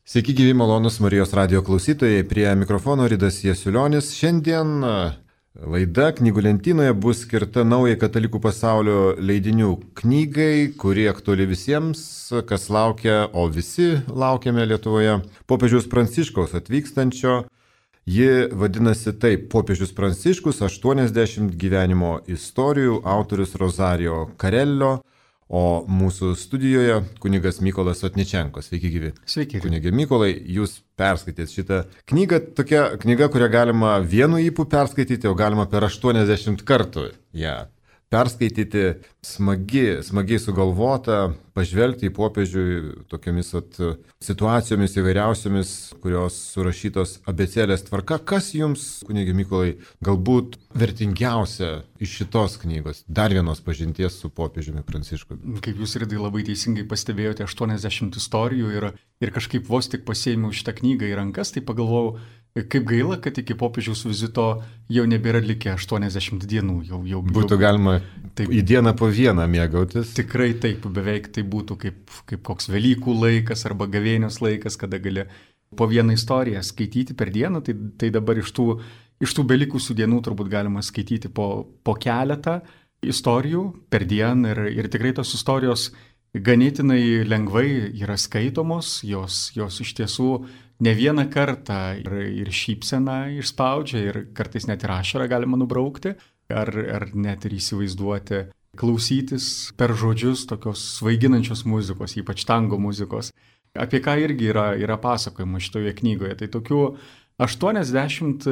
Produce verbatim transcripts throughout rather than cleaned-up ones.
Sveiki gyvi malonus Marijos radio klausytojai, prie mikrofono Ridas Jasiulionis. Šiandien laida Knygų lentynoje bus skirta naujai katalikų pasaulio leidinių knygai, kuri aktuali visiems, kas laukia, o visi laukiame Lietuvoje, popiežiaus Pranciškaus atvykstančio. Ji vadinasi taip, popiežius Pranciškus, aštuoniasdešimt gyvenimo istorijų, autorius Rosario Carello. O mūsų studijoje kunigas Mykolas Otničenko. Sveiki gyvi. Sveiki. Kunigė Mykolai, jūs perskaitėt šitą knygą, tokia knyga, kurią galima vienu ypu perskaityti, o galima per aštuoniasdešimt kartų ją perskaityti. Smagi, smagiai sugalvota, pažvelgti į popiežių tokiamis at, situacijomis įvairiausiomis, kurios surašytos abėcėlės tvarka. Kas jums, kunigė Mykolai, galbūt vertingiausia iš šitos knygos, dar vienos pažinties su popiežiumi Pranciškumi? Kaip jūs, Ridai, labai teisingai pastebėjote, aštuoniasdešimt istorijų ir, ir kažkaip vos tik pasiėmiau šitą knygą į rankas, tai pagalvojau, kaip gaila, kad iki popiežiaus vizito jau nebėra likę aštuoniasdešimt dienų. Jau, jau, būtų jau, galima taip, į dieną po vieną mėgautis. Tikrai taip, beveik tai būtų kaip, kaip koks Velykų laikas arba gavėnios laikas, kada gali po vieną istoriją skaityti per dieną. Tai, tai dabar iš tų, iš tų belikusių dienų turbūt galima skaityti po, po keletą istorijų per dieną ir, ir tikrai tos istorijos ganėtinai lengvai yra skaitomos, jos, jos iš tiesų ne vieną kartą ir, ir šypseną išspaudžia ir kartais net ir ašarą galima nubraukti, ar, ar net ir įsivaizduoti, klausytis per žodžius tokios svaiginančios muzikos, ypač tango muzikos, apie ką irgi yra, yra pasakojama šitoje knygoje. Tai tokių aštuoniasdešimt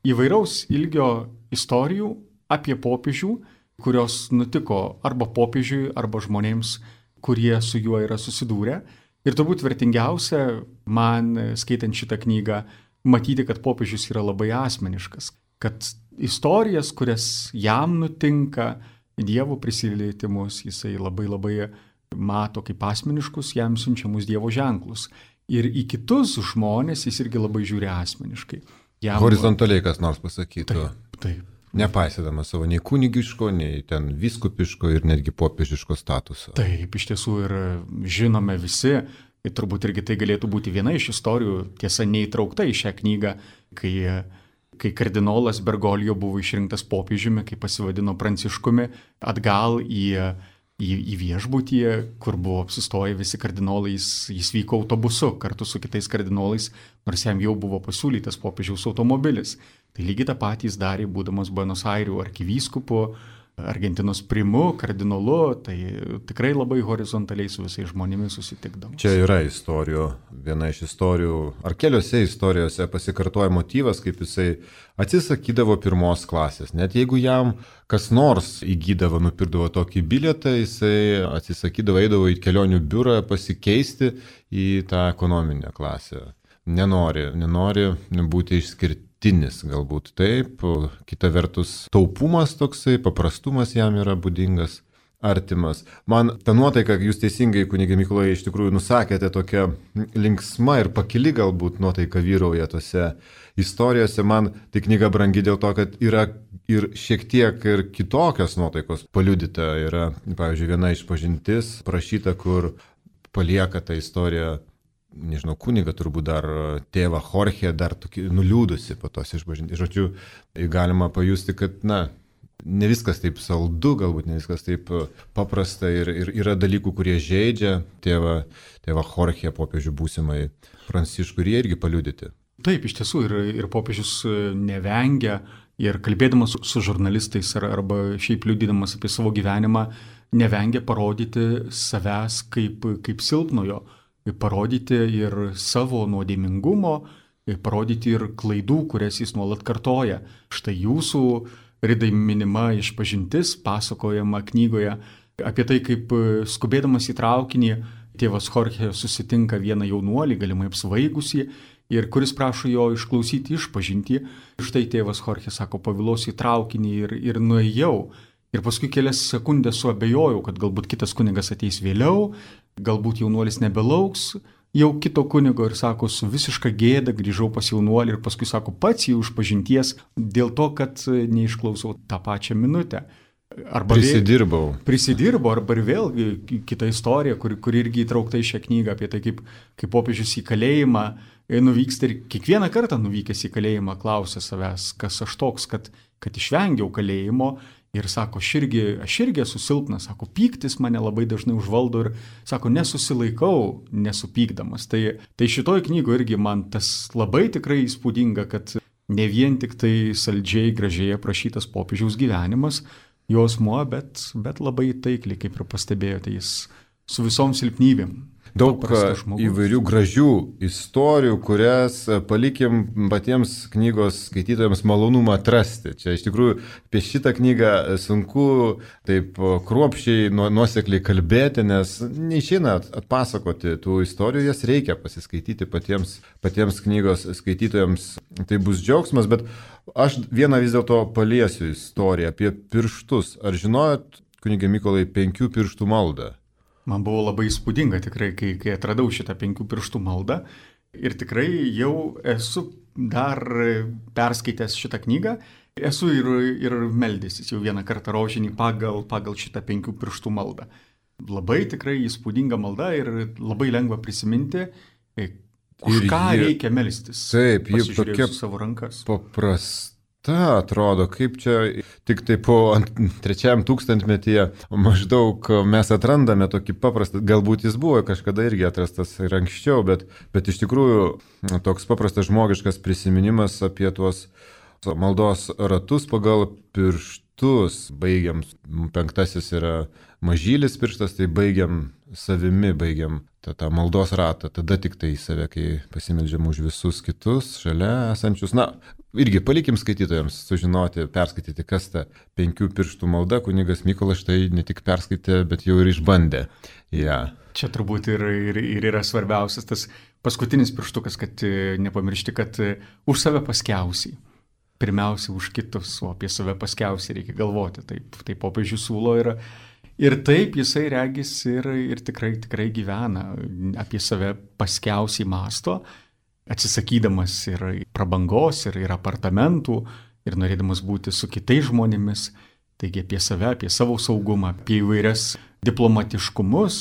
įvairaus ilgio istorijų apie popiežių, kurios nutiko arba popiežiui, arba žmonėms, kurie su juo yra susidūrę. Ir turbūt vertingiausia man, skaitant šitą knygą, matyti, kad popiežius yra labai asmeniškas, kad istorijas, kurias jam nutinka, Dievo prisilietimus, jisai labai labai mato kaip asmeniškus, jam siunčiamus Dievo ženklus. Ir į kitus žmonės jis irgi labai žiūri asmeniškai. Jam... Horizontaliai kas nors pasakytų. Taip, taip. Nepaisydamas savo nei kunigiško, nei ten vyskupiško ir netgi popiežiško statuso. Taip, iš tiesų ir žinome visi, ir turbūt irgi tai galėtų būti viena iš istorijų, tiesa neįtraukta į šią knygą, kai, kai kardinolas Bergoglio buvo išrinktas popiežiumi, kai pasivadino Pranciškumi, atgal į, į, į viešbutį, kur buvo apsistoję visi kardinolai, jis, jis vyko autobusu kartu su kitais kardinolais, nors jam jau buvo pasiūlytas popiežiaus automobilis. Tai lygiai tą patį jis darė, būdamas Buenos Airių arkivyskupu, Argentinos primu, kardinolu, tai tikrai labai horizontaliai su visais žmonėmis susitikdamas. Čia yra istorijų, viena iš istorijų, ar keliose istorijose pasikartoja motyvas, kaip jisai atsisakydavo pirmos klasės. Net jeigu jam kas nors įgydavo, nupirkdavo tokį bilietą, jisai atsisakydavo, eidavo į kelionių biurą pasikeisti į tą ekonominę klasę. Nenori, nenori būti išskirti. Galbūt taip, kita vertus taupumas toksai, paprastumas jam yra būdingas, artimas. Man ta nuotaika, jūs teisingai, kunigė Mykolai, iš tikrųjų nusakėte, tokia linksma ir pakili galbūt nuotaika vyrauja tose istorijose. Man tai knyga brangi dėl to, kad yra ir šiek tiek ir kitokios nuotaikos paliudyta. Yra, pavyzdžiui, viena išpažintis prašyta, kur palieka tą istoriją, nežinau, kunigą turbūt dar tėvą Jorge, dar tokį nuliūdusi po tos išpažinties. Žodžiu, galima pajusti, kad, na, ne viskas taip saldu, galbūt ne viskas taip paprasta ir, ir yra dalykų, kurie žeidžia tėvą, tėvą Jorge, popiežių būsimai Pranciškų, ir jie irgi paliudyti. Taip, iš tiesų, ir, ir popiežius nevengia, ir kalbėdamas su žurnalistais ar, arba šiaip liudydamas apie savo gyvenimą, nevengia parodyti savęs kaip, kaip silpnojo, parodyti ir savo nuodėmingumo, parodyti ir klaidų, kurias jis nuolat kartoja. Štai jūsų, Ridai, minima išpažintis, pasakojama knygoje apie tai, kaip skubėdamas į traukinį tėvas Jorge susitinka vieną jaunuolį, galimai apsvaigusį, ir kuris prašo jo išklausyti išpažintį. Štai tėvas Jorge sako, pavėluosiu į traukinį ir, ir nuėjau. Ir paskui kelias sekundės suabejojau, kad galbūt kitas kunigas ateis vėliau, galbūt jaunuolis nebelauks jau kito kunigo, ir sako, su visiška gėda grįžau pas jaunuolį ir paskui sako, pats jau išpažinties dėl to, kad neišklausau tą pačią minutę. Arba prisidirbau. Vėl, prisidirbau, arba ir vėl kita istorija, kuri kur irgi įtraukta į šią knygą apie tai, kaip, kaip popiežius į kalėjimą nuvyksta ir kiekvieną kartą nuvykęs į kalėjimą klausia savęs, kas aš toks, kad, kad išvengiau kalėjimo ir sako, aš irgi, aš irgi esu silpnas, sako, pyktis mane labai dažnai užvaldo ir sako, nesusilaikau nesupykdamas. Tai, tai šitoj knygoje irgi man tas labai tikrai įspūdinga, kad ne vien tik tai saldžiai, gražiai aprašytas popiežiaus gyvenimas, jausmuo, bet, bet labai taikliai, kaip ir pastebėjote, jis su visom silpnybėm. Daug įvairių gražių istorijų, kurias palikim patiems knygos skaitytojams malonumą atrasti. Čia iš tikrųjų apie šitą knygą sunku taip kruopščiai, nuosekliai kalbėti, nes neišeina atpasakoti tų istorijų, jas reikia pasiskaityti patiems, patiems knygos skaitytojams. Tai bus džiaugsmas, bet aš vieną vis dėlto paliesiu istoriją apie pirštus. Ar žinojot, kunige Mykolai, penkių pirštų maldą? Man buvo labai įspūdinga tikrai, kai, kai atradau šitą penkių pirštų maldą ir tikrai jau esu dar perskaitęs šitą knygą, esu ir, ir meldęsis jau vieną kartą rožinį pagal, pagal šitą penkių pirštų maldą. Labai tikrai įspūdinga malda ir labai lengva prisiminti, už ir ką jie, reikia melstis. Taip, ji tokia savo rankas. Paprasta. Ta, atrodo, kaip čia tik tai po trečiajam tūkstantmetyje maždaug mes atrandame tokį paprastą, galbūt jis buvo kažkada irgi atrastas ir anksčiau, bet, bet iš tikrųjų toks paprastas žmogiškas prisiminimas apie tuos maldos ratus pagal pirštus. Baigiam, penktasis yra mažylis pirštas, tai baigiam savimi, baigiam tą, tą maldos ratą, tada tik tai į save, kai pasimeldžiam už visus kitus šalia esančius. Na, irgi palikim skaitytojams sužinoti, perskaityti, kas ta penkių pirštų malda. Kunigas Mykolas štai ne tik perskaitė, bet jau ir išbandė. Ja. Čia turbūt ir, ir, ir yra svarbiausias tas paskutinis pirštukas, kad nepamiršti, kad už save paskiausiai. Pirmiausia už kitus, o apie save paskiausiai reikia galvoti. Taip, taip popiežius siūlo ir, ir taip jisai regis ir, ir tikrai, tikrai gyvena, apie save paskiausiai masto, atsisakydamas ir prabangos, ir, ir apartamentų, ir norėdamas būti su kitais žmonėmis. Taigi apie save, apie savo saugumą, apie įvairias diplomatiškumus,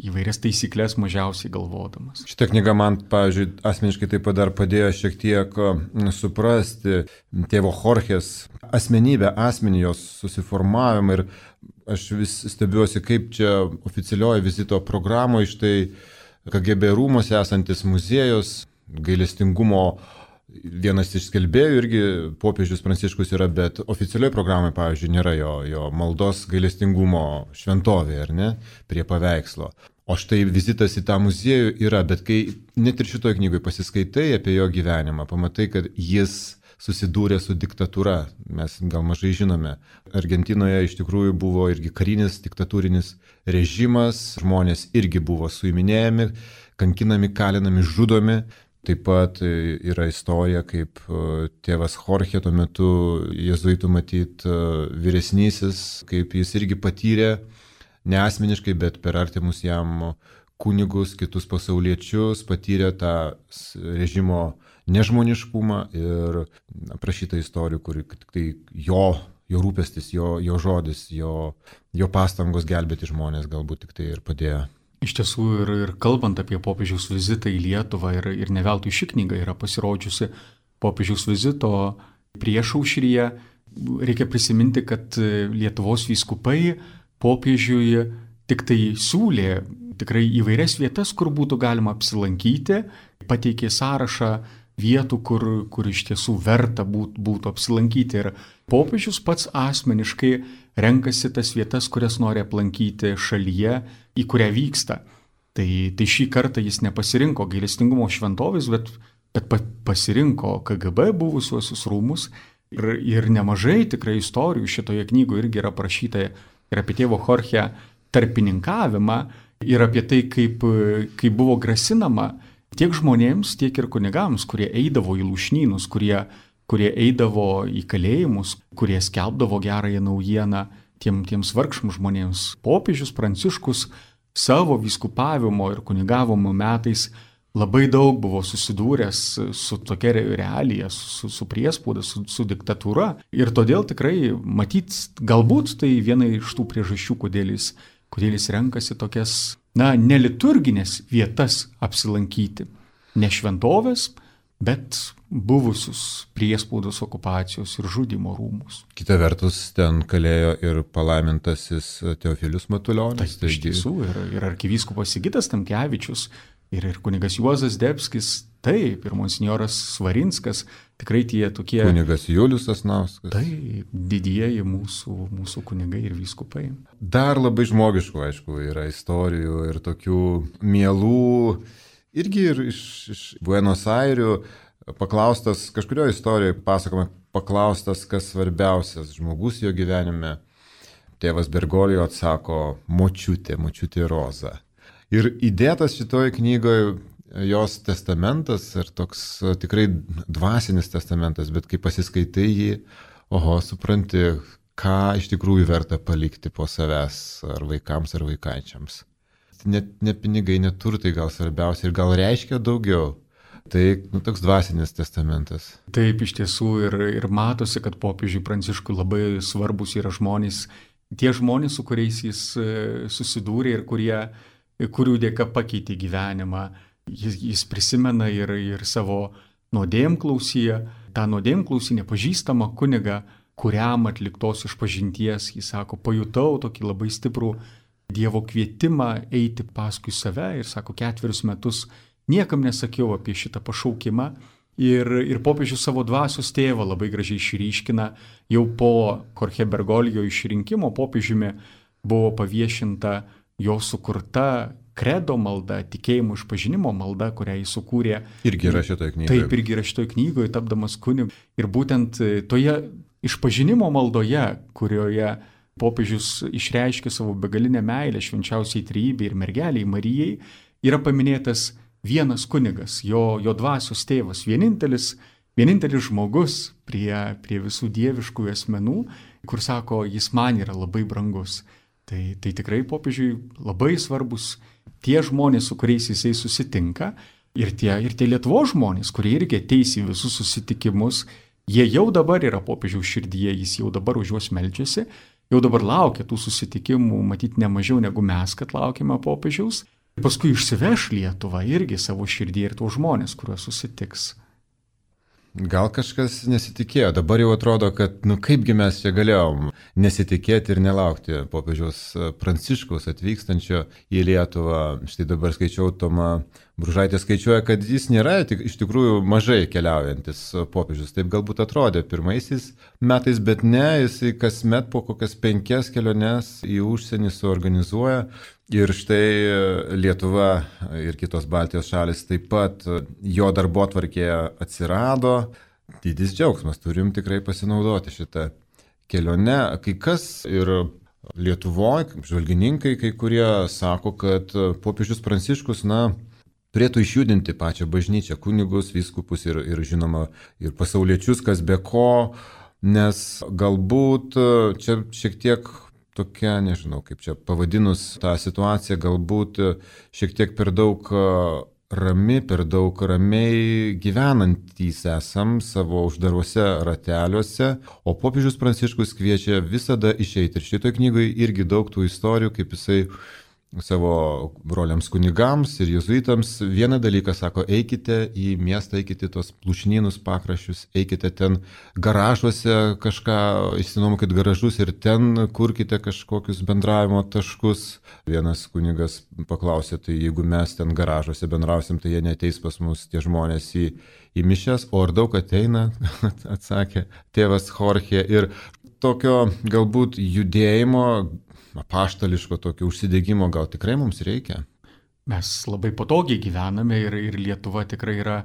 įvairias taisyklės mažiausiai galvodamas. Šitą knygą man, pavyzdžiui, asmeniškai taip pat dar padėjo šiek tiek suprasti tėvo Jorgės asmenybę, asmenį jos susiformavimą, ir aš vis stebiuosi, kaip čia oficialioje vizito programoje štai K G B rūmose esantis muziejus gailestingumo. Vienas iš skelbėjų irgi popiežius Pranciškus yra, bet oficialioje programoje, pavyzdžiui, nėra jo, jo maldos gailestingumo šventovė, ar ne, prie paveikslo. O štai vizitas į tą muziejų yra, bet kai net ir šitoje knygoje pasiskaitai apie jo gyvenimą, pamatai, kad jis susidūrė su diktatūra. Mes gal mažai žinome. Argentinoje iš tikrųjų buvo irgi karinis diktatūrinis režimas, žmonės irgi buvo suiminėjami, kankinami, kalinami, žudomi. Taip pat yra istorija, kaip tėvas Jorge tuo metu, jėzuitų matyt vyresnysis, kaip jis irgi patyrė, ne asmeniškai, bet per artimus jam kunigus, kitus pasauliečius, patyrė tą režimo nežmoniškumą ir aprašyta istorijų, kur tik tai jo, jo rūpestis, jo, jo žodis, jo, jo pastangos gelbėti žmonės galbūt tik tai ir padėjo. Iš tiesų ir, ir kalbant apie popiežiaus vizitą į Lietuvą, ir, ir ne veltui ši knyga yra pasirodžiusi popiežiaus vizito priešaušryje, reikia prisiminti, kad Lietuvos vyskupai popiežiui tik tai siūlė tikrai įvairias vietas, kur būtų galima apsilankyti, pateikė sąrašą vietų, kur, kur iš tiesų verta būt, būtų apsilankyti. Ir popiežius pats asmeniškai renkasi tas vietas, kurias nori aplankyti šalyje, į kurią vyksta. Tai, tai šį kartą jis nepasirinko gailestingumo šventovės, bet, bet pasirinko K G B buvusiuosius rūmus. Ir, ir nemažai tikrai istorijų šitoje knygoje irgi yra parašyta ir apie tėvo Jorge tarpininkavimą, ir apie tai, kaip, kaip buvo grasinama tiek žmonėms, tiek ir kunigams, kurie eidavo į lūšnynus, kurie, kurie eidavo į kalėjimus, kurie skelbdavo gerąją naujieną tiem, tiems vargšams žmonėms. Popiežius Pranciškus savo vyskupavimo ir kunigavimo metais labai daug buvo susidūręs su tokia realija, su, su priespauda, su, su diktatūra. Ir todėl tikrai, matyt, galbūt tai viena iš tų priežasčių, kodėl jis, kodėl jis renkasi tokias, na, neliturginės vietas apsilankyti. Ne šventovės, bet buvusius priespaudos, okupacijos ir žudimo rūmus. Kita vertus, ten kalėjo ir palaimintasis Teofilius Matulionis. Taip, iš tiesų, ir, ir arkivyskupas Sigitas Tamkevičius, ir, ir kunigas Juozas Debskis, taip, ir monsinjoras Svarinskas, tikrai tie tokie... Kunigas Julius Sasnauskas. Taip, didieji mūsų, mūsų kunigai ir vyskupai. Dar labai žmogiškų, aišku, yra istorijų ir tokių mielų, irgi ir iš, iš Buenos Airių, paklaustas, kažkurioje istorijoje pasakoma, paklaustas, kas svarbiausias žmogus jo gyvenime. Tėvas Bergolijo atsako, močiutė, močiutė Roza. Ir įdėtas šitoje knygoje jos testamentas, ir toks tikrai dvasinis testamentas, bet kai pasiskaitai jį, oho, supranti, ką iš tikrųjų verta palikti po savęs, ar vaikams, ar vaikaičiams. Net ne pinigai, net turtai gal svarbiausia ir gal reiškia daugiau. Tai nu, toks dvasinis testamentas. Taip, iš tiesų ir, ir matosi, kad popiežiui Pranciškui labai svarbus yra žmonės, tie žmonės, su kuriais jis susidūrė ir kurie, kurių dėka pakeitė gyvenimą. Jis, jis prisimena ir, ir savo nuodėmklausį, tą nuodėmklausį nepažįstamą kunigą, kuriam atliktos išpažinties, jis sako, pajutau tokį labai stiprų Dievo kvietimą eiti paskui save ir sako, ketverius metus niekam nesakiau apie šitą pašaukimą ir, ir popiežius savo dvasios tėvą labai gražiai išryškina. Jau po Jorge Bergoglio išrinkimo popiežiumi buvo paviešinta jo sukurta kredo malda, tikėjimo išpažinimo malda, kurią jis sukūrė. Irgi yra šitoje knygoje. Taip, irgi yra šitoje knygoje, tapdamas kunigu. Ir būtent toje išpažinimo maldoje, kurioje popiežius išreiškė savo begalinę meilę švenčiausiai trejybei ir mergeliai Marijai, yra paminėtas vienas kunigas, jo, jo dvasios tėvas, vienintelis, vienintelis žmogus prie, prie visų dieviškų asmenų, kur sako, jis man yra labai brangus. Tai, tai tikrai popiežiui labai svarbus tie žmonės, su kuriais jisai susitinka, ir tie, ir tie Lietuvos žmonės, kurie irgi ateis į visus susitikimus, jie jau dabar yra popiežiaus širdyje, jis jau dabar už juos meldžiasi, jau dabar laukia tų susitikimų, matyti ne mažiau negu mes, kad laukiame popiežiaus. Paskui išsiveš Lietuvą irgi savo širdį ir tuos žmonės, kuriuos susitiks. Gal kažkas nesitikėjo, dabar jau atrodo, kad nu kaipgi mes čia galėjom nesitikėti ir nelaukti popiežiaus Pranciškaus atvykstančio į Lietuvą. Štai dabar skaičiau, Toma Bružaitė skaičiuoja, kad jis nėra tik, iš tikrųjų mažai keliaujantis popiežius. Taip galbūt atrodė pirmaisiais metais, bet ne, jisai kasmet po kokias penkias keliones į užsienį suorganizuoja. Ir štai Lietuva ir kitos Baltijos šalis taip pat jo darbotvarkėje atsirado. Didis džiaugsmas, turim tikrai pasinaudoti šitą kelionę. Kai kas ir Lietuvoje, žvalgininkai, kai kurie sako, kad popiežius Pranciškus, na, turėtų išjudinti pačią bažnyčią, kunigus, vyskupus ir, ir žinoma, ir pasauliečius, kas be ko, nes galbūt čia šiek tiek tokia, nežinau, kaip čia pavadinus tą situaciją, galbūt šiek tiek per daug rami, per daug ramiai gyvenantys esam savo uždaruose rateliuose, o popiežius Pranciškus kviečia visada išeiti. Ir šitoje knygoje irgi daug tų istorijų, kaip jisai savo broliams kunigams ir jėzuitams vieną dalyką sako, eikite į miestą, eikite tos plušnynus pakraščius, eikite ten garažuose kažką, išsinuomokit garažus ir ten kurkite kažkokius bendravimo taškus. Vienas kunigas paklausė, tai jeigu mes ten garažuose bendrausim, tai jie neateis pas mus tie žmonės į, į mišias, o ar daug ateina, atsakė tėvas Jorge. Ir tokio galbūt judėjimo, apaštališko tokio užsidegimo gal tikrai mums reikia. Mes labai patogiai gyvename ir, ir Lietuva tikrai yra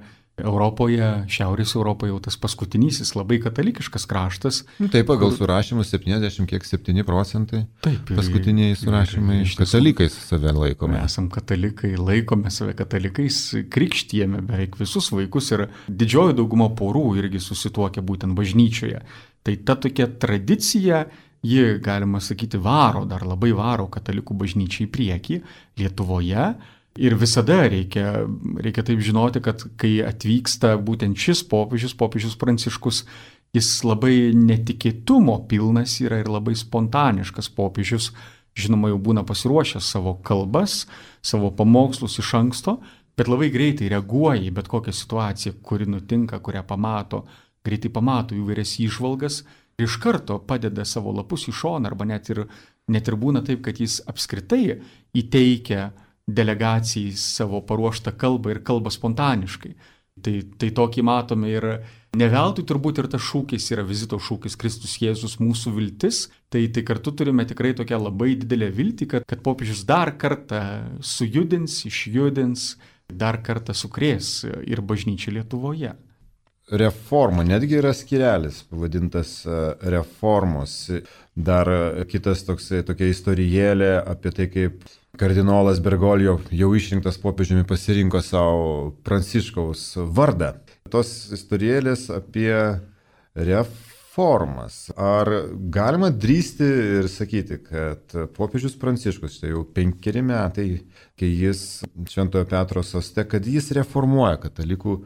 Europoje, Šiaurės Europoje jau tas paskutinysis labai katalikiškas kraštas. Taip, pagal kur... surašymus septyniasdešimt septyni procentai. Taip, paskutiniai surašymai iš katalikais save laikome. Mes esam katalikai, laikome save katalikais, krikštijame beveik visus vaikus ir didžioji dauguma porų irgi susituokia būtent bažnyčioje. Tai ta tokia tradicija, ji, galima sakyti, varo, dar labai varo katalikų bažnyčiai į priekį Lietuvoje. Ir visada reikia, reikia taip žinoti, kad kai atvyksta būtent šis popiežius, popiežius Pranciškus, jis labai netikėtumo pilnas yra ir labai spontaniškas popiežius. Žinoma, jau būna pasiruošęs savo kalbas, savo pamokslus iš anksto, bet labai greitai reaguoja į bet kokią situaciją, kuri nutinka, kurią pamato, greitai pamato įvairias įžvalgas ir iš karto padeda savo lapus į šoną, arba net ir, net ir būna taip, kad jis apskritai įteikia delegacijai savo paruoštą kalbą ir kalbą spontaniškai. Tai, tai tokį matome ir ne veltui turbūt ir tas šūkis yra vizito šūkis Kristus Jėzus mūsų viltis. Tai, tai kartu turime tikrai tokią labai didelę viltį, kad, kad popiežius dar kartą sujudins, išjudins, dar kartą sukrės ir bažnyčią Lietuvoje. Reforma, netgi yra skyrelis pavadintas reformos. Dar kitas toksai, tokia istorijėlė apie tai, kaip kardinolas Bergoglio jau išrinktas popiežiumi pasirinko savo Pranciškaus vardą. Tos istorijėlės apie reformas. Ar galima drįsti ir sakyti, kad popiežius Pranciškus, tai jau penkeri metai, kai jis Šventojo Petro soste, kad jis reformuoja katalikų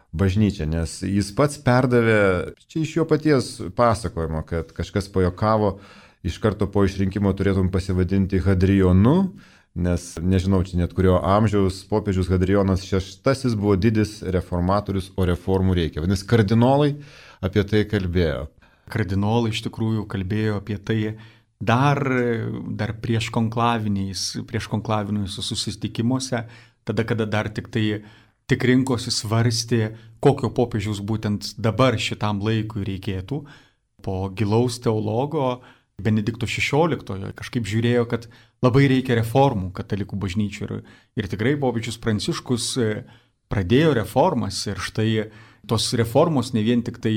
bažnyčią, nes jis pats perdavė, čia iš jo paties pasakojimo, kad kažkas pajokavo, iš karto po išrinkimo turėtum pasivadinti Hadrionu, nes nežinau, čia net kurio amžiaus popiežius Hadrijonas šeštasis buvo didis reformatorius, o reformų reikia. Vadinasi, kardinolai apie tai kalbėjo. Kardinolai iš tikrųjų kalbėjo apie tai dar, dar prieš konklaviniais, prieš konklaviniuose susitikimuose, tada, kada dar tik tai tik rinkosi svarstė, kokio popiežiaus būtent dabar šitam laikui reikėtų. Po gilaus teologo Benedikto šešioliktojo kažkaip žiūrėjo, kad labai reikia reformų katalikų bažnyčių. Ir, ir tikrai popiežius Pranciškus pradėjo reformas ir štai tos reformos ne vien tik tai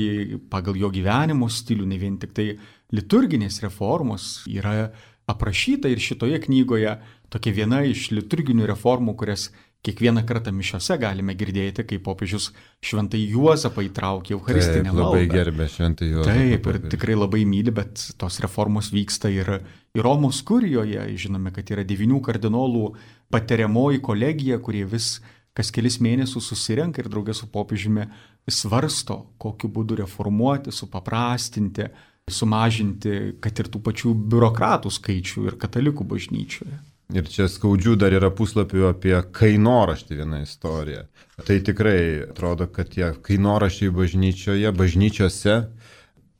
pagal jo gyvenimo stilių, ne vien tik tai liturginės reformos yra aprašyta ir šitoje knygoje tokia viena iš liturginių reformų, kurias kiekvieną kartą mišiose galime girdėti, kai popiežius Šventąjį Juozapą įtraukė Eucharistinę maldą. Labai gerbė Šventąjį Juozapą. Taip, ir tikrai labai myli, bet tos reformos vyksta ir, ir Romos kurijoje. Žinome, kad yra devynių kardinolų patariamoji kolegija, kurie vis kas kelis mėnesius susirenka ir draugė su popiežiumi svarsto, kokiu būdu reformuoti, supaprastinti, sumažinti, kad ir tų pačių biurokratų skaičių ir katalikų bažnyčioje. Ir čia skaudžių dar yra puslapių apie kainoraštį vieną istoriją. Tai tikrai atrodo, kad tie kainoraščiai bažnyčioje, bažnyčiose,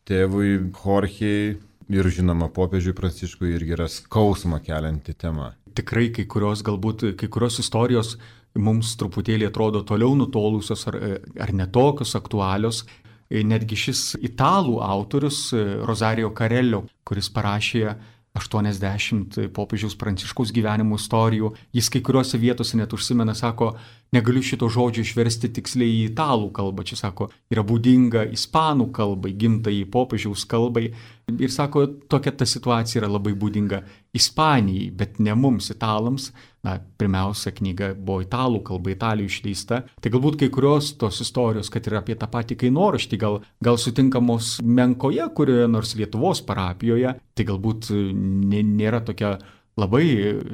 tėvui Jorgei ir žinoma popiežiui Pranciškui irgi yra skausmą kelianti tema. Tikrai kai kurios galbūt, kai kurios istorijos mums truputėlį atrodo toliau nutolusios ar, ar netokios aktualios. Netgi šis italų autorius Rosario Carello, kuris parašė aštuoniasdešimt popiežiaus Pranciškaus gyvenimo istorijų. Jis kai kuriuose vietose net užsimena, sako, negaliu šito žodžio išversti tiksliai į italų kalbą. Čia sako, yra būdinga ispanų kalbai, gimtai popiežiaus kalbai. Ir sako, tokia ta situacija yra labai būdinga Ispanijai, bet ne mums, italams. Na, pirmiausia, knyga buvo italų kalba, Italijoje išleista. Tai galbūt kai kurios tos istorijos, kad ir apie tą patį kainoraštį, gal, gal sutinkamos menkoje, kurioje nors Lietuvos parapijoje, tai galbūt nėra tokia labai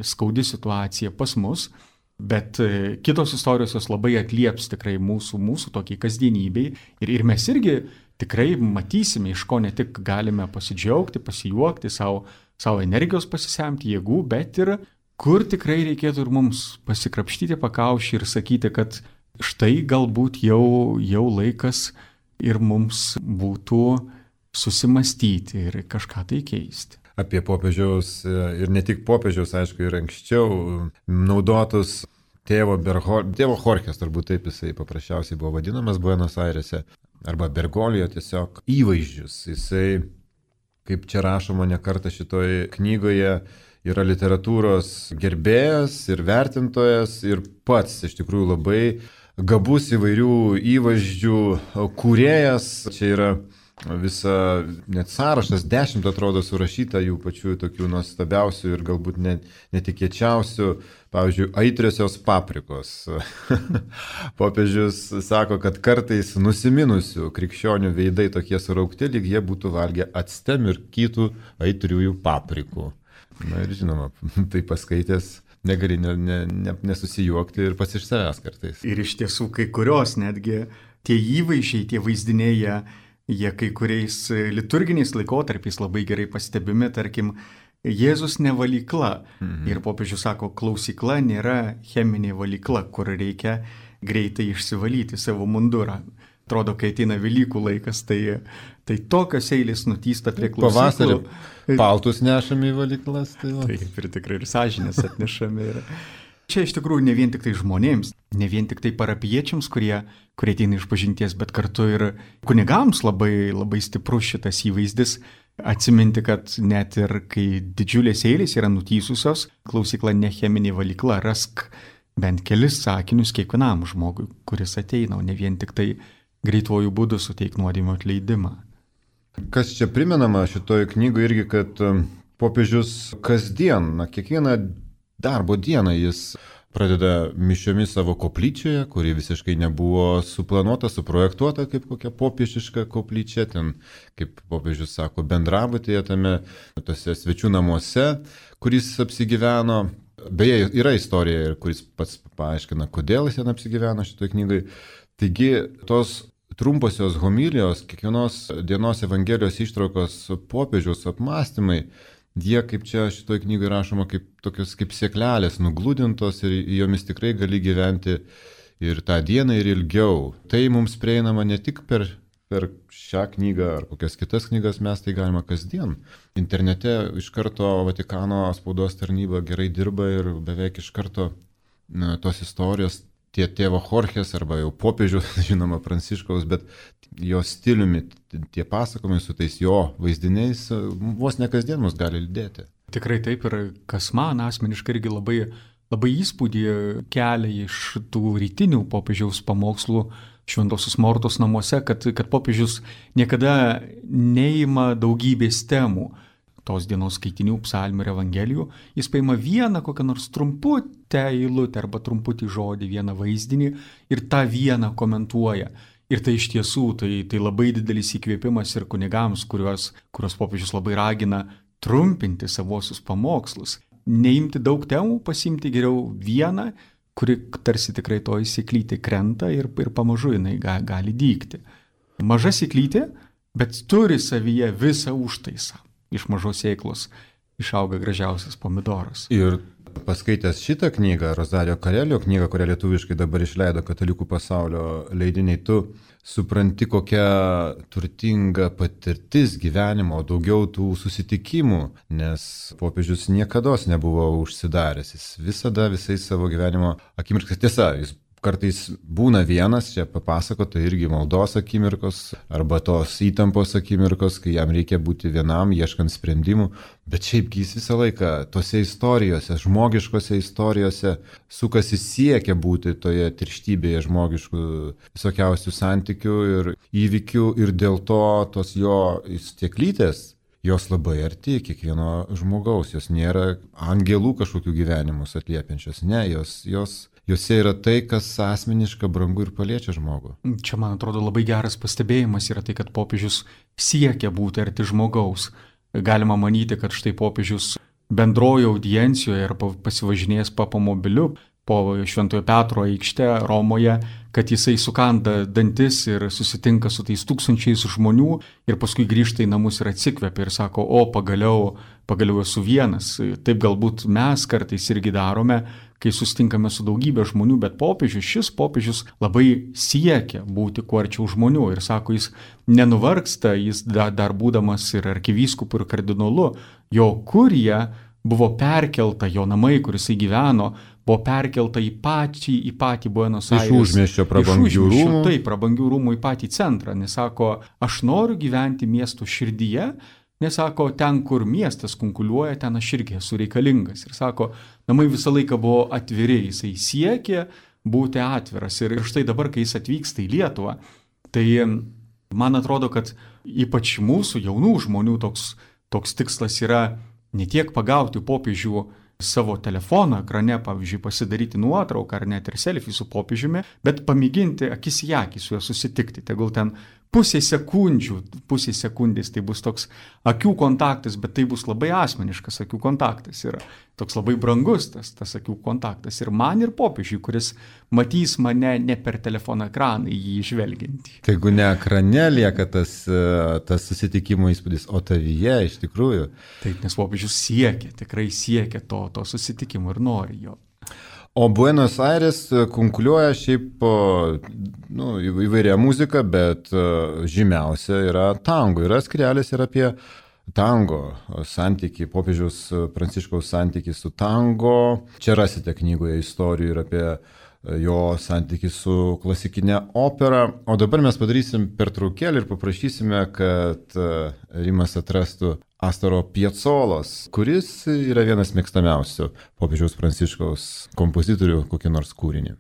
skaudi situacija pas mus, bet kitos istorijos jos labai atlieps tikrai mūsų, mūsų tokiai kasdienybei. Ir, ir mes irgi tikrai matysime, iš ko ne tik galime pasidžiaugti, pasijuokti, savo, savo energijos pasisemti, jėgų, bet ir kur tikrai reikėtų ir mums pasikrapštyti pakaušį ir sakyti, kad štai galbūt jau, jau laikas ir mums būtų susimastyti ir kažką tai keisti. Apie popiežiaus ir ne tik popiežiaus, aišku, ir anksčiau naudotus tėvo, Bergo, tėvo Jorgės, turbūt taip jisai paprasčiausiai buvo vadinamas Buenos Airėse, arba Bergoglio tiesiog įvaizdžius. Jisai, kaip čia rašoma ne kartą šitoje knygoje, yra literatūros gerbėjas ir vertintojas ir pats iš tikrųjų labai gabus įvairių įvaizdžių kūrėjas. Čia yra visa net sąrašas, dešimt atrodo surašyta jų pačių tokių nuostabiausių ir galbūt net netikėčiausių, pavyzdžiui, aitriosios paprikos. Popiežius sako, kad kartais nusiminusių krikščionių veidai tokie suraukti, lyg jie būtų valgę acte mirkytų aitriųjų paprikų. Na ir žinoma, tai paskaitęs negali ne, ne, ne, nesusijuokti ir pats iš savęs kartais. Ir iš tiesų kai kurios netgi tie įvaizdžiai, tie vaizdiniai, jie, jie kai kuriais liturginiais laikotarpiais labai gerai pastebimi, tarkim, Jėzus ne valykla. Mhm. Ir popiežius sako, klausykla nėra cheminė valykla, kur reikia greitai išsivalyti savo mundurą. Atrodo, kai ateina Velykų laikas, tai, tai tokios eilės nutysta prie klausyklų. Pavasarį paltus nešami į valyklas. Tai va. Taip, ir tikrai ir sąžinės atnešami. Ir... Čia iš tikrųjų ne vien tik tai žmonėms, ne vien tik tai parapiečiams, kurie, kurie ateina iš pažinties, bet kartu ir kunigams labai, labai stiprus šitas įvaizdis. Atsiminti, kad net ir kai didžiulės eilės yra nutysusios, klausykla ne cheminė valykla, rask bent kelis sakinius kiekvienam žmogui, kuris ateina, o ne vien tik tai greituoju būdu suteik nuodėmių atleidimą. Kas čia primenama šitoje knygoje irgi, kad popiežius kasdien, na, kiekvieną darbo dieną jis pradeda mišiomis savo koplyčioje, kuri visiškai nebuvo suplanuota, suprojektuota kaip kokia popiežiška koplyčia, ten, kaip popiežius sako, bendrabutėje tame, tose svečių namuose, kuris apsigyveno. Beje, yra istorija, kuris pats paaiškina, kodėl jis ten apsigyveno šitoje knygoje. Taigi, tos trumposios homilijos, kiekvienos dienos Evangelijos ištraukos popiežiaus apmąstymai, jie, kaip čia šitoje knygoje rašoma, kaip tokios kaip sėklelės nugludintos ir jomis tikrai gali gyventi ir tą dieną, ir ilgiau. Tai mums prieinama ne tik per, per šią knygą ar kokias kitas knygas, mes tai galima kasdien. Internete iš karto Vatikano spaudos tarnyba gerai dirba ir beveik iš karto na, tos istorijos tie tėvo Jorgės arba jau popiežių, žinoma, Pranciškaus, bet jo stiliumi, tie pasakojimai su tais jo vaizdiniais vos ne kasdien mus gali lydėti. Tikrai taip, ir kas man asmeniškai irgi labai, labai įspūdį kelia iš tų rytinių popiežiaus pamokslų Šventosios Mortos namuose, kad, kad popiežius niekada neima daugybės temų. Tos dienos skaitinių, psalmių ir evangelijų, jis paima vieną kokią nors trumputę eilutę arba trumputį žodį, vieną vaizdinį ir tą vieną komentuoja. Ir tai iš tiesų, tai, tai labai didelis įkvėpimas ir kunigams, kuriuos, kuriuos popiežius labai ragina trumpinti savosius pamokslus. Neimti daug temų, pasimti geriau vieną, kuri tarsi tikrai to įsiklytė krenta ir, ir pamažu jinai ga, gali dygti. Maža įsiklytė, bet turi savyje visą užtaisą. Iš mažos sėklos išauga gražiausias pomidoras. Ir paskaitęs šitą knygą, Rosario Karelio knygą, kurią lietuviškai dabar išleido Katalikų pasaulio leidiniai, tu supranti, kokia turtinga patirtis gyvenimo, daugiau tų susitikimų, nes popiežius niekados nebuvo užsidaręs. Jis visada visais savo gyvenimo akimirkas, tiesa, jis kartais būna vienas, čia papasakota irgi maldos akimirkos arba tos įtampos akimirkos, kai jam reikia būti vienam, ieškant sprendimų, bet šiaipgi jis visą laiką tose istorijose, žmogiškose istorijose sukasi siekia būti toje tirštybėje žmogiškų visokiausių santykių ir įvykių ir dėl to tos jo stieklytės, jos labai arti kiekvieno žmogaus, jos nėra angelų kažkokių gyvenimus atliepiančios, ne, jos, jos Jose yra tai, kas asmeniška, brangu ir paliečia žmogų. Čia, man atrodo, labai geras pastebėjimas yra tai, kad popiežius siekia būti arti žmogaus. Galima manyti, kad štai popiežius bendrojo audiencijoje ar pasivažinėjęs papamobiliu po Šventojo Petro aikštę Romoje, kad jisai sukanda dantis ir susitinka su tais tūkstančiais žmonių ir paskui grįžta į namus ir atsikvepia ir sako, o pagaliau, pagaliau esu vienas. Taip galbūt mes kartais irgi darome, kai susitinkame su daugybė žmonių, bet popiežius, šis popiežius labai siekia būti kuo arčiau žmonių ir sako, jis nenuvargsta, jis dar, dar būdamas ir arkivyskupu ir kardinolu, jo kurija buvo perkelta, jo namai, kur jisai gyveno, buvo perkelta į patį, į patį Buenos Aires. Iš užmiesčio prabangių rūmų. Taip, prabangių rūmų į patį centrą, nes sako, aš noriu gyventi miesto širdyje, nes sako, ten, kur miestas kunkuliuoja, ten aš irgi esu reikalingas. Ir sako, namai visą laiką buvo atviri, jisai siekė būti atviras. Ir štai dabar, kai jis atvyksta į Lietuvą, tai man atrodo, kad ypač mūsų jaunų žmonių toks, toks tikslas yra ne tiek pagauti popiežių savo telefoną ekrane, pavyzdžiui, pasidaryti nuotrauką ar net ir selfie su popiežiumi, bet pamėginti akis į akį su juo susitikti. Tegul ten pusė sekundžių, pusė sekundės tai bus toks akių kontaktas, bet tai bus labai asmeniškas akių kontaktas yra. Toks labai brangus tas, tas akių kontaktas. Ir man ir popiežiui, kuris matys mane ne per telefono ekraną į jį žvelgiantį. Tai jeigu ne ekrane lieka tas, tas susitikimo įspūdis, o tavyje iš tikrųjų. Taip, nes popiežius siekia, tikrai siekia to, to susitikimo ir nori jo. O Buenos Aires kunkuliuoja šiaip nu, įvairia muzika, bet žymiausia yra tango. Yra skrelis ir apie tango santykį, popiežiaus Pranciškaus santykį su tango. Čia rasite knygoje istorijų ir apie jo santykį su klasikinė opera. O dabar mes padarysim pertraukėlį ir paprašysime, kad Rimas atrastų Astoro Piazzolos, kuris yra vienas mėgstamiausių popiežiaus Pranciškaus kompozitorių kokį nors kūrinį.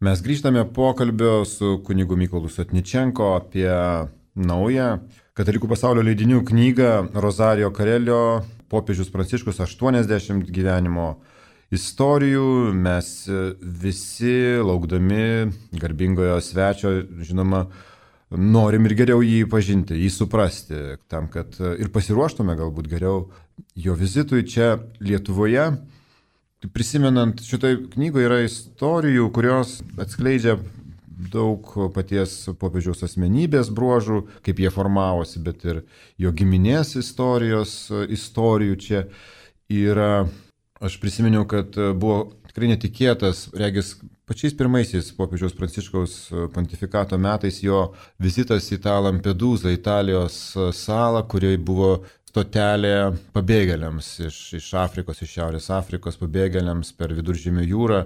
Mes grįžtame pokalbio su kunigu Mykolu Sotničenko apie naują Katalikų pasaulio leidinių knygą Rosario Karelio Popiežius Pranciškus aštuoniasdešimt gyvenimo istorijų, mes visi, laukdami garbingojo svečio, žinoma, norim ir geriau jį pažinti, jį suprasti, tam, kad ir pasiruoštume galbūt geriau jo vizitui čia Lietuvoje. Prisimenant, šitoj knygoje yra istorijų, kurios atskleidžia daug paties popiežiaus asmenybės bruožų, kaip jie formavosi, bet ir jo giminės istorijos, istorijų čia yra. Aš prisiminiau, kad buvo tikrai netikėtas, regis, pačiais pirmaisiais popiežiaus Pranciškaus pontifikato metais jo vizitas į tą Lampedūzą, Italijos salą, kurioje buvo stotelė pabėgėliams iš, iš Afrikos, iš Šiaurės Afrikos pabėgėliams per Viduržemio jūrą.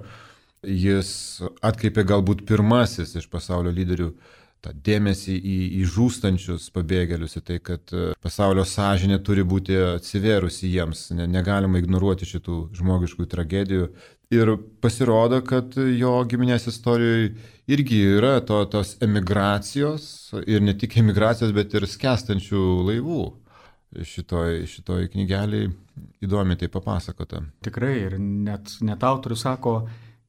Jis atkreipė galbūt pirmasis iš pasaulio lyderių tą dėmesį į, į žūstančius pabėgėlius, į tai, kad pasaulio sąžinė turi būti atsivėrusi jiems, ne, negalima ignoruoti šitų žmogiškų tragedijų. Ir pasirodo, kad jo giminės istorijoje irgi yra to, tos emigracijos, ir ne tik emigracijos, bet ir skęstančių laivų. Šitoj, šitoj knygeliai įdomiai tai papasakota. Tikrai, ir net, net autorius sako,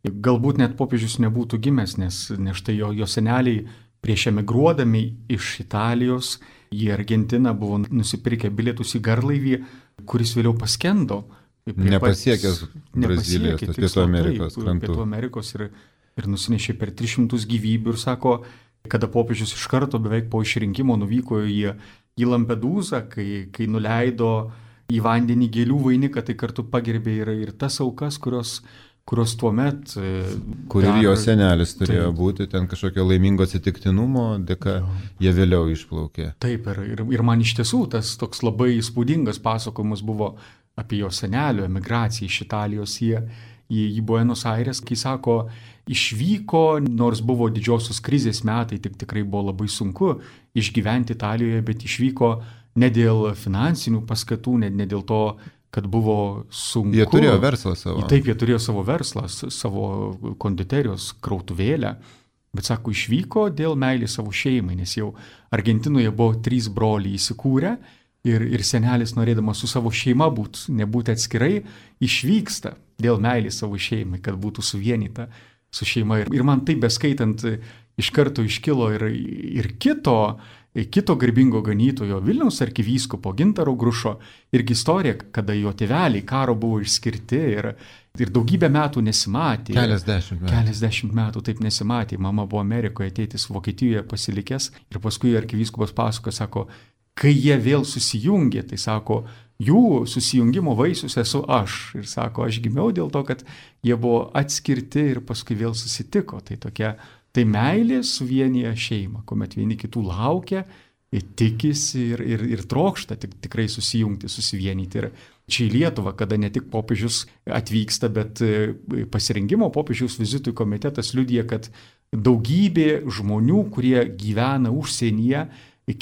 galbūt net popiežius nebūtų gimęs, nes, nes štai jo, jo seneliai prieš emigruodami iš Italijos į Argentiną buvo nusipirkę bilietus į garlaivį, kuris vėliau paskendo. Nepasiekęs Brazilijos, Pietų Amerikos krantų. Pietų Amerikos ir, ir nusinešė per tris šimtus gyvybių ir sako, kada popiežius iš karto beveik po išrinkimo nuvyko į, į Lampedūzą, kai, kai nuleido į vandenį gėlių vainiką, tai kartu pagerbė ir, ir tas aukas, kurios kurios tuo met... Kur ir jo senelis turėjo taip būti, ten kažkokio laimingo atsitiktinumo dėka, jie vėliau išplaukė. Taip, ir, ir, ir man iš tiesų tas toks labai įspūdingas pasakojimas buvo apie jo senelio emigraciją iš Italijos į, į, į Buenos Aires, kai sako, išvyko, nors buvo didžiosios krizės metai, tik tikrai buvo labai sunku išgyventi Italijoje, bet išvyko ne dėl finansinių paskatų, ne, ne dėl to, kad buvo sunku. Jie turėjo verslą savo. Taip, jie turėjo savo verslą, savo konditerijos krautuvėlę, bet sako, išvyko dėl meilės savo šeimai, nes jau Argentinoje buvo trys broliai įsikūrę ir, ir senelis, norėdamas su savo šeima būt, nebūti atskirai, išvyksta dėl meilės savo šeimai, kad būtų suvienyta su šeima. Ir, ir man taip beskaitant, iš karto iškilo ir, ir kito, kito garbingo ganytojo Vilniaus arkivyskupo Gintaro Grušo irgi istorija, kada jo tėveliai karo buvo išskirti ir, ir daugybę metų nesimatė. Keliasdešimt metų. Keliasdešimt metų taip nesimatė. Mama buvo Amerikoje, tėtis Vokietijoje pasilikęs ir paskui arkivyskupas pasako, sako, kai jie vėl susijungė, tai sako, jų susijungimo vaisius esu aš. Ir sako, aš gimiau dėl to, kad jie buvo atskirti ir paskui vėl susitiko. Tai tokia Tai meilė suvienyje šeimą, kuomet vieni kitų laukia, tikisi ir, ir, ir trokšta tik, tikrai susijungti, susivienyti. Ir čia į Lietuvą, kada ne tik popiežius atvyksta, bet pasirengimo popiežiaus vizitui komitetas liudija, kad daugybė žmonių, kurie gyvena užsienyje,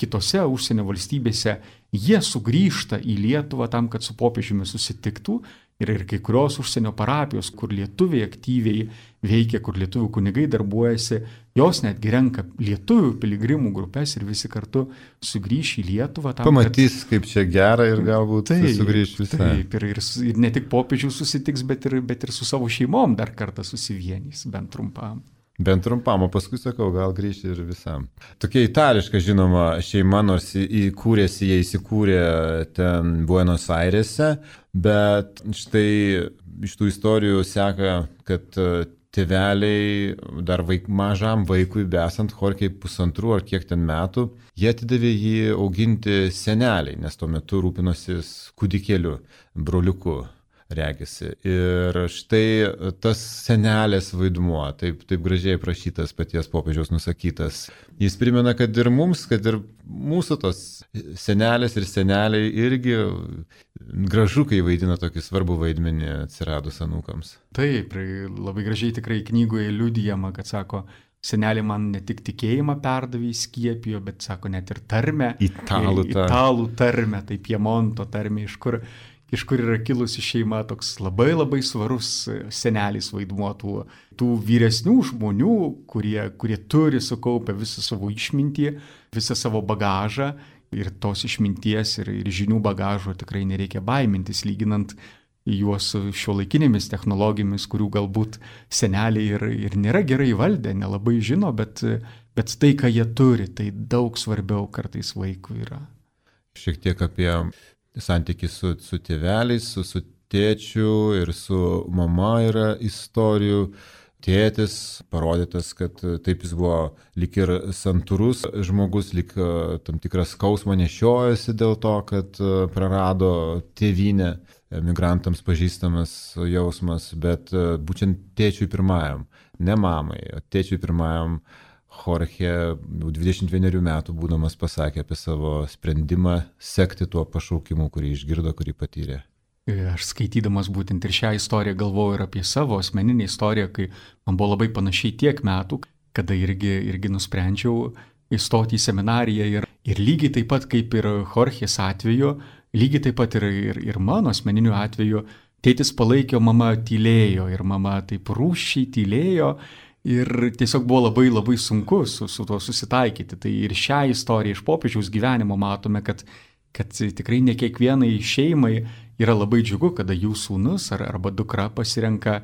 kitose užsienio valstybėse, jie sugrįžta į Lietuvą tam, kad su popiežiumi susitiktų. Ir, ir kai kurios užsienio parapijos, kur lietuviai aktyviai veikia, kur lietuvių kunigai darbuojasi, jos netgi renka lietuvių piligrimų grupės ir visi kartu sugrįš į Lietuvą. Tam, pamatys, kad... kaip čia gera ir galbūt taip, sugrįš visą. Taip, ir, ir, ir ne tik popiežių susitiks, bet ir, bet ir su savo šeimom dar kartą susivienys, bent trumpam. Bent trumpam, o paskui sakau, gal grįžti ir visam. Tokia itališka, žinoma, šeima, nors įkūrėsi, jie įsikūrė ten Buenos Airese, bet štai iš tų istorijų seka, kad tėveliai dar vaik, mažam vaikui, besant Jorkei pusantrų ar kiek ten metų, jie atidavė jį auginti seneliai, nes tuo metu rūpinosis kūdikėliu, broliuku. Regisi. Ir štai tas senelės vaidmuo, taip, taip gražiai prašytas paties popiežiaus nusakytas. Jis primena, kad ir mums, kad ir mūsų tos senelės ir seneliai irgi gražu, kai vaidina tokį svarbų vaidmenį atsiradus anūkams. Taip, labai gražiai tikrai knygoje liudijama, kad sako, senelė man ne tik tikėjimą perdavė, skiepijo, bet sako net ir tarmę. Italų tarmę. Italų tarmę, tai Piemonto tarmę, iš kur... iš kur yra kilusi šeima, toks labai labai svarus senelis vaidmuo tų, tų vyresnių žmonių, kurie, kurie turi sukaupę visą savo išmintį, visą savo bagažą ir tos išminties ir, ir žinių bagažo tikrai nereikia baimintis, lyginant juos šiuolaikinėmis technologijomis, kurių galbūt seneliai ir, ir nėra gerai valdę, nelabai žino, bet, bet tai, ką jie turi, tai daug svarbiau kartais vaikui yra. Šiek tiek apie santykį su, su tėveliais, su, su tėčiu ir su mama yra istorijų. Tėtis parodytas, kad taip jis buvo lyg ir santūrus žmogus, lyg tam tikras skausmą nešiojasi dėl to, kad prarado tėvynę, emigrantams pažįstamas jausmas, bet būtent tėčiui pirmajam, ne mamai, o tėčiui pirmajam Jorge dvidešimt vienerių metų būdamas pasakė apie savo sprendimą sekti tuo pašaukimu, kurį išgirdo, kurį patyrė. Aš skaitydamas būtent ir šią istoriją galvojau ir apie savo asmeninę istoriją, kai man buvo labai panašiai tiek metų, kada irgi, irgi nusprendžiau įstoti į seminariją ir, ir lygiai taip pat kaip ir Jorgės atveju, lygiai taip pat ir, ir, ir mano asmeniniu atveju, tėtis palaikė, mama tylėjo ir mama taip rūsčiai tylėjo ir tiesiog buvo labai labai sunku su, su tuo susitaikyti. Tai ir šią istoriją iš popiežiaus gyvenimo matome, kad kad tikrai ne kiekvienai šeimai yra labai džiugu, kada jų sūnus ar, arba dukra pasirenka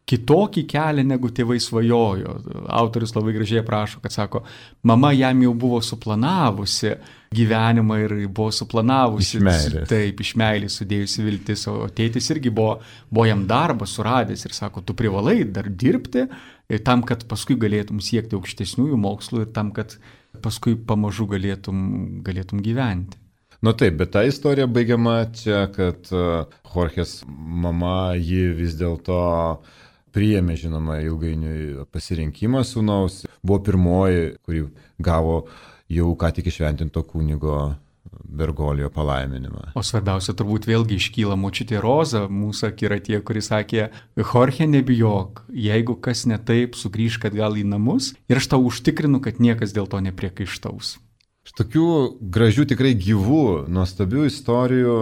kitokį kelią, negu tėvai svajojo. Autorius labai gražiai aprašo, kad sako, mama jam jau buvo suplanavusi gyvenimą ir buvo suplanavusi. Iš meilės. Taip, iš meilės sudėjusi viltis, o tėtis irgi buvo, buvo jam darbą suradęs ir sako, tu privalai dar dirbti tam, kad paskui galėtum siekti aukštesniųjų mokslų ir tam, kad paskui pamažu galėtum, galėtum gyventi. Nu taip, bet ta istorija baigiama čia, kad Jorgės mama jį vis dėlto priėmė, žinoma, ilgainiui pasirinkimą sūnaus. Buvo pirmoji, kuri gavo jau ką tik išventinto kunigo Bergolijo palaiminimą. O svarbiausia turbūt vėlgi iškyla močiutė Roza, mūsų akiratyje, kuris sakė, Jorge, nebijok, jeigu kas ne taip, sugrįžk atgal į namus ir aš tau užtikrinu, kad niekas dėl to nepriekaištaus. Tokių gražių, tikrai gyvų, nuostabių istorijų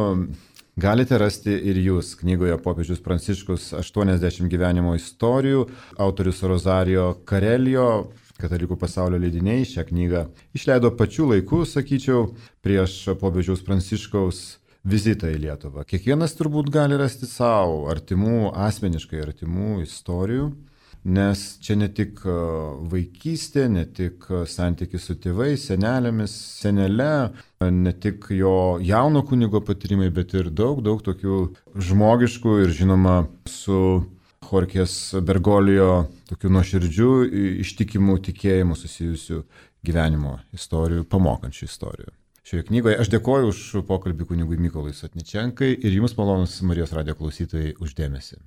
galite rasti ir jūs knygoje Popiežius Pranciškus aštuoniasdešimt gyvenimo istorijų. Autorius Rosario Karelio, Katalikų pasaulio leidiniai, šią knygą išleido pačiu laiku, sakyčiau, prieš Popiežiaus Pranciškaus vizitą į Lietuvą. Kiekvienas turbūt gali rasti savo artimų, asmeniškai artimų istorijų. Nes čia ne tik vaikystė, ne tik santykis su tėvais, senelėmis, senele, ne tik jo jauno kunigo patyrimai, bet ir daug, daug tokių žmogiškų ir žinoma su Jorgės Bergolijo tokių nuoširdžių, ištikimų tikėjimų susijusių gyvenimo istorijų, pamokančių istorijų. Šioje knygoje aš dėkoju už pokalbį kunigui Mykolui Sotničenkai ir jums, malonūs Marijos radijo klausytojai, už dėmesį.